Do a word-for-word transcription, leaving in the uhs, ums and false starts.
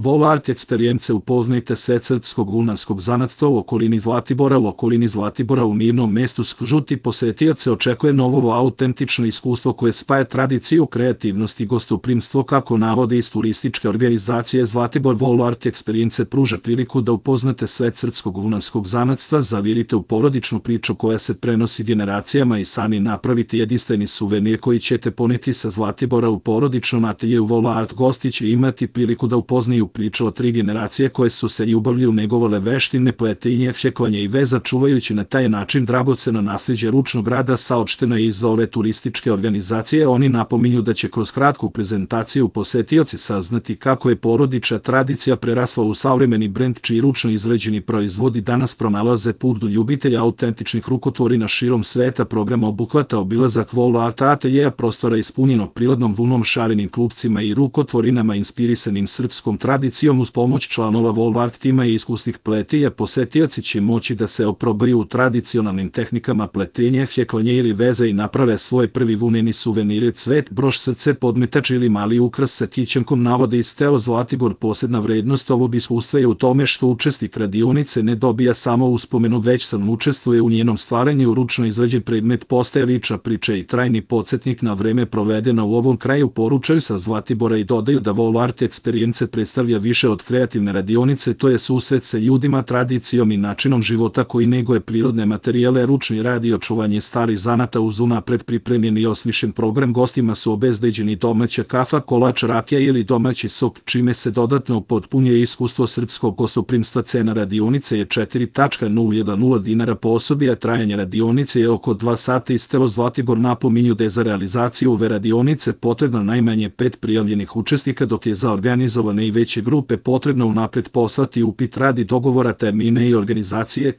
Vol Art Experience. Upoznajte svet srpskog vunarskog zanatstva u okolini Zlatibora. U okolini Zlatibora u mirnom mestu Skžuti posetioce očekuje novo autentično iskustvo koje spaja tradiciju, kreativnost i gostoprimstvo, kako navode iz turističke organizacije Zlatibor. Vol Art Experience pruža priliku da upoznate svet srpskog vunarskog zanatstva, zavirite u porodičnu priču koja se prenosi generacijama i sami napravite jedinstveni suvenir koji ćete poneti sa Zlatibora. U porodičnom ateljeu Vol Art gosti će imati priliku da upoznaju priču o tri generacije koje su se ljubavlju negovale veštine, pletenje, šekovanje i veza, čuvajući na taj način dragoceno naslijeđe ručnog rada. Saopšteno je iz ove turističke organizacije. Oni napominju da će kroz kratku prezentaciju posetioci saznati kako je porodična tradicija prerasla u savremeni brend čiji ručno izrađeni proizvodi danas pronalaze put do ljubitelja autentičnih rukotvorina širom sveta. Program obuhvata obilazak Vol Art ateljeja, prostora ispunjenog prirodnom vunom, šarenim klupcima i rukotvorinama inspirisanim srpskom tradicijom. Uz pomoć članova Vol Art tima i iskusnih pletilja posetioci će moći da se oprobaju u tradicionalnim tehnikama pletenja, šekovanje ili veza i naprave svoj prvi vuneni suvenir, cvet, broš, srce, podmetač ili mali ukras sa kićenkom, navode iz Teo Zlatibor. Posebna vrednost ovog iskustva je u tome što učesnik radionice ne dobija samo uspomenu, već sam učestvuje u njenom stvaranju. Ručno izrađen predmet postaje lična priča i trajni podsjetnik na vreme provedeno u ovom kraju, poručaju sa Zlatibora i dodaju da Vol Art Experience predstavlja više od kreativne radionice, to je susret sa ljudima, tradicijom i načinom života koji neguje prirodne materijale, ručni rad i očuvanje starih zanata. Uz unapred pripremljeni i osmišljen program gostima su obezbeđeni domaća kafa, kolač, rakija ili domaći sok, čime se dodatno potpunjuje iskustvo srpskog gostoprimstva. Cena radionice je četiri zarez nula dinara po osobi, a trajanje radionice je oko dva sata. Iz Teo Zlatibor napominju da je za realizaciju ove radionice potrebno najmanje pet prijavljenih učesnika, dok je za organizovane i veće grupe potrebno unapred poslati upit radi dogovora termine i organizacije.